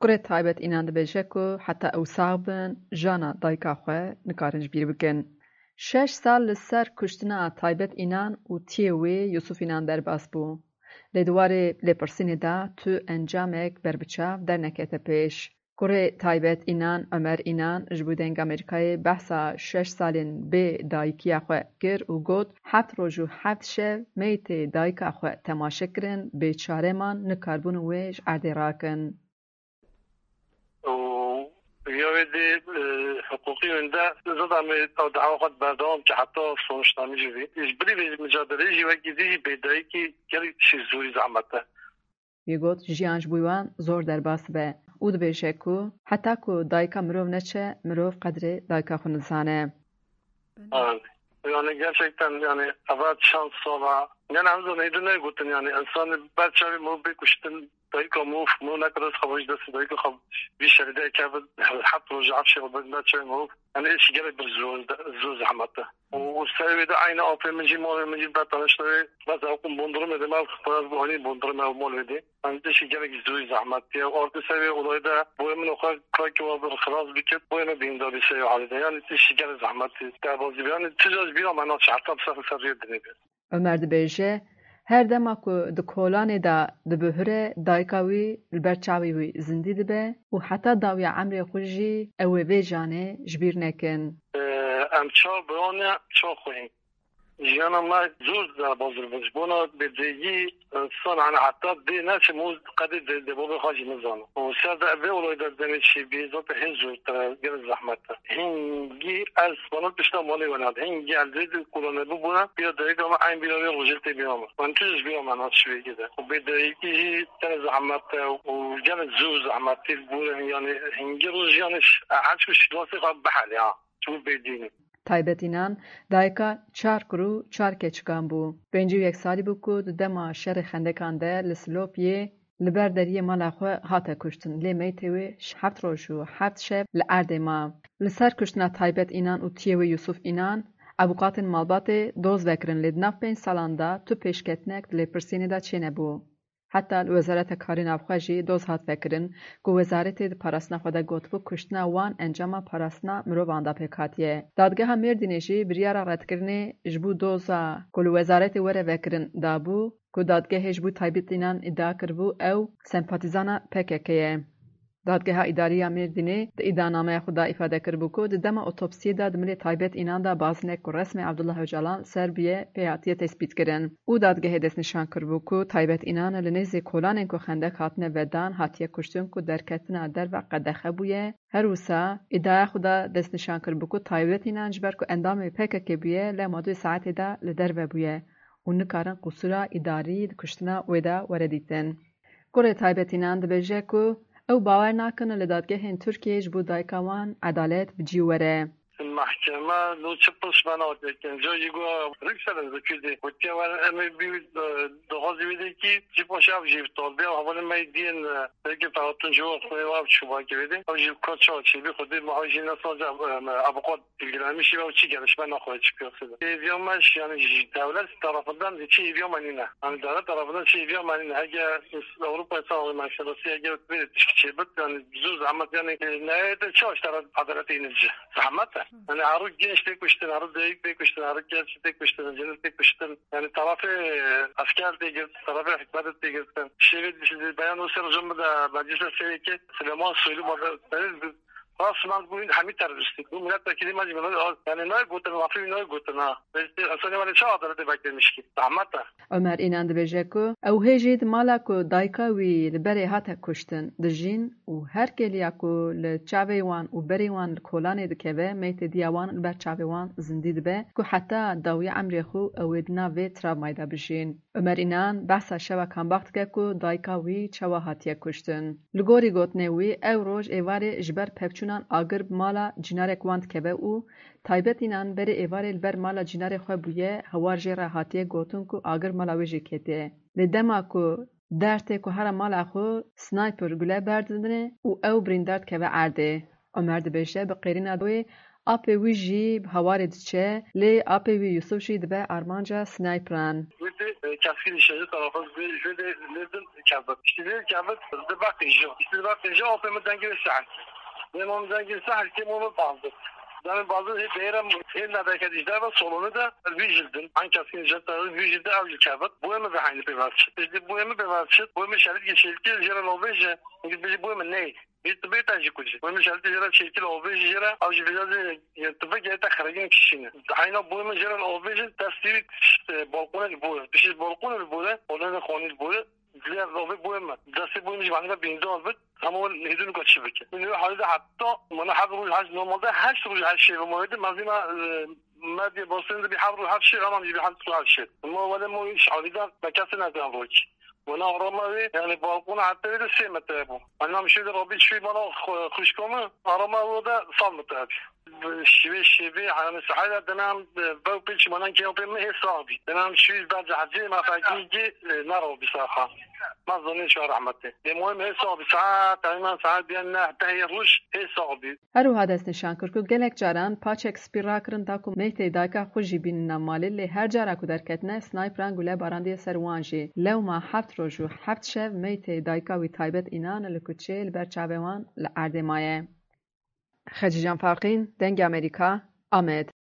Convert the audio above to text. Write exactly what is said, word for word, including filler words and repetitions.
Kurê Taybet Înan dibêje ku heta ew sax bin, jana dayika xwe nikarin ji bîr bikin. Şeş sal li ser kuştina Taybet Înan û tiyê wê Yusuf Înan derbas bû. Lê di warê lêpirsînê de tu encamek berbiçav dernekete pêş. Kurê Taybet Înan, Omer Înan, ji bo Dengê Amerîkayê behsa şeş salên bê dayikiya xwe kir û got, heft roj û heft şev meytê dayika xwe temaşe kirin, bêçare man, nikarbûn wê ji erdê rakin. û ya wê dê, e, hiqûqî wende zida me ew dawa xwe berdewam ke heta sonuçnamî jî bî. Ji bilî vê micadeleyê jî wekî dî jî bêdayîkî gelek tiştê zorî zehmet e. Wî got, jiyan ji bo wan zor derbas dibe û dibêje ku heta ku dayika mirov neçe, mirov qedrê dayika xwe nizane. Yani, yani gerçekten yani eva çend sala. Yani em zanî de ne gotin yani insan ber çavê mirov bê kuştin, dayika mirov, mirov nekare xwe ji destê dayika xwe vî şerî de kevin, heft roj, heft şev ber çavê mirov. Yani iş gerek bir zor, zor zahmet e. O, o serê wê de aynı apê min jî, malê min jî ber taniştayê, bes ew kum bondurumê de mal, xwe ez bu hanî bondurumê ew mal wê de. Em tiştî gelek zor zehmetî ye. Artê ser vê olayê de boyê min xwe kaki wa bir xilas bikit, boyê me bînda bî ser vê halê de. Yani tiştî gelek zehmetî derbazî bî. Yani tija ji bîra me naçe, heta bi ser ser rê dinê bî. Omer dibêje, her dema ku di kolanê de dibihure, dayika wî li ber çavê wî zindî dibe û heta dawiya emrê xwe jî ew ê vê janê ji bîr nekin. Ee, em çar birane, çar xweyî. Jiyana me zor derbas dibin. Ji bona bêdengî însan, hani heta dê neçe, mûz qedê dê, dê bavê xwe jî nizane. Û ser de vê olayê de demê çêbî, zaten hê zortir e, gelek zehmet e. Hingî ez bana tişta malê wena. Hingî ez dê de kulane bibûne, bîra dayika me, eyn bîra wê rojê tê bîra me. Min tu ji bîra me nas şivê de. Û bêdengî jî tenê zehmet e û gelek zor zehmetî bûne. Yani hingî roj yani ş-, her çi şilasê xwe bihelê ha. Çû bêdînî. Taybet Înan dayika çar kur û çar keçikan bû. Pêncî û yek salî bû ku di dema şerê xendekan de li Silopiyê li ber deriyê mala xwe hate kuştin. Lê meytê wê heft roj û heft şev li erdê ma. Li ser kuştina Taybet Înan û tiyê wê Yusuf Înan, avûkatên malbatê doz vekirin, lê di nav pênc salan de tu pêşketinek di lêpirsînê de çênebû. Heta li Wezareta Karê Navxwe jî doz hat vekirin ku wezaretê di parastina xwe de gotibû kuştina wan encama parastina mirovan de pêk hatiye. Dadgeha Mêrdînê jî biryara redkirinê ji bo doza ku li wezaretê were vekirin dabû ku dadgehê ji bo Taybet Înan îdia kiribû ew sempatîzana P K K ye. Dadgeha Îdarî ya Mêrdînê di îdianameya xwe de îfade kiribû ku di dema otopsiyê de di milê Taybet Înan de bazinek ku resmê Abdullah Ocalan li ser bûye pê hatiye tespîtkirin û dadgehê destnîşan kiribû ku Taybet Înan li nêzî kolanên ku xendek hatine vedan hatiye kuştin ku derketina derve qedexe bûye. Her wisa îdiaya xwe de destnîşan kiribû ku Taybet Înan ji ber ku endamê P K K bûye, lewma du saetê de li derve bûye û nikarin qusûra îdarî di kuştina wê de were dîtin. Kurê Taybet Înan dibêje ku ew bawer nakin li dadgehên Tirkiyeyê ji bo dayika wan edalet bi cî were. Mahkeme no çi pirs me nake kenca jî got rik serin zikir de gotiye wer em ê bî, e, daxwazî wê de kî jî paşa ev jî bi talbiya hevalên me diyên, e, pêkê feratun ji we xwê ev çûbakê wê de. Ew jî ka çawa çêbî xwedê me ew jî nesaze, e, me avûkat bilgilenmiş ve çi gelişme naxwe çi piyasada. Hêviya me yani ji devlet tarafından de çi hêviya me nîne. Yani devlet tarafından çi hêviya me nîne. Hege Avrupa insan hakları mahkemesi hege böyle tişki çêbit yani zor zahmet yani, e, ne de çaş taraf adalet yine ci. Zahmet e. Yani arı genç tek kuştun, arı deyik tek kuştun, arı genç tek kuştun, cennet tek kuştun. Yani tarafı, e, asker tek kuştun, tarafı hükümet tek kuştun. Şehir beyan o ser hocam da meclise seyke Süleyman Soylu bana Rasman bû hemî terorîstî. Bû milletvekilî me jî, yani ne gotin, lafî ne gotin ha. Însanê me çawa adaletê beklemiş ki? Zahmet e. Omer Înan dibêje ku ew hê jî di mala ku dayika wî li berê hate kuştin dijîn û her kêliya ku li çavê wan û berê wan li kolanê dikeve, meytê diya wan li ber çavê wan zindî dibe ku heta dawiya emrê xwe ew ê di nav vê travmayê de bijîn. Omer Înan behsa şeva Kambax dike ku dayika wî çawa hatiye kuştin. Li gorî gotinê wî, ew roj êvarê ji ber pevçûnan agir bi mala cînarek wan dikeve û Taybet Înan berê êvarê li ber mala cînarê xwe bûye, hewar jê re hatiye gotin ku agir mala wê jê ketiye. Lê dema ku dertê ku here mala xwe snayper gule berdidine û ew birîndar dikeve erdê. Omer dibêje, bi qêrîna wê Apê wî jî bi hewarê diçe, lê apê wî Yusuf jî dibe armanca sniperan. Wê de, e, keskin nişancı tarafı ve ve de nereden kevit. İşte ne kevit, de bak ijo. İşte bak ijo, apê mi dengê sehil. Benim onun dengê sehil ki onu bazı. Benim bazı hep değerim, hep ne derken işte ben solunu da vigildim. Hangi keskin nişancı tarafı vigildi, avcı kevit. Bu emi de aynı bir var. İşte bu emi bir var. Bu emi şerit geçildi, jere lobeje. Çünkü bizi bu emi ne? Bê tu bê te jî ku jî. Wê min şertî jê re çêkil û vê jî jê re ew jî vêca zê tu vê gerê te xeregin kişîne. Heyna boyê min jê re û vê jî destî tişt balkonê li bore. Tişt balkonê li bore. Odê xanî li bore. Dilê ez û vê boyê min. Destê boyê min jî bende bînda bit. Hema wê hêdin ka çi bike. Min wê halî de heta mana heft roj heşt normalde heşt roj heşt şê ve ma wê de mezîna medya basın de bir heft roj heşt şê, ama bir heft roj heşt şê. Ma wele ma iş halî de me kesê nezan roj. Wena arama wê, yani balkona heta wê de sê metre bû. Anam şê de rabî çûyî bana xu-, xwişka min, arama wê de sed metre bî. Şivê şivê, yani sahayla denem, bew pêçî manan kê pê min hê sax bî. Denem şûyî ber cehcê, me fekî ki, e, nerabî saxa. Me zanî şû rehmetê. Lê muhim hê sax bî. Saet, teyman saet biyan neh, tehê roj hê sax bî. Her wiha dest nîşan kir ku gelek caran paçek spî rakirin da ku meytê dayika xwe jî bînine malê, lê her cara ku derketine, snayperan gule barandiye ser wan jî. Lewma heft roj û heft şev meytê dayika wî taybet Înan li kuçê li ber çavê wan li erdê maye. Xecîcan Farqîn, Dengê Amerîka, Amed.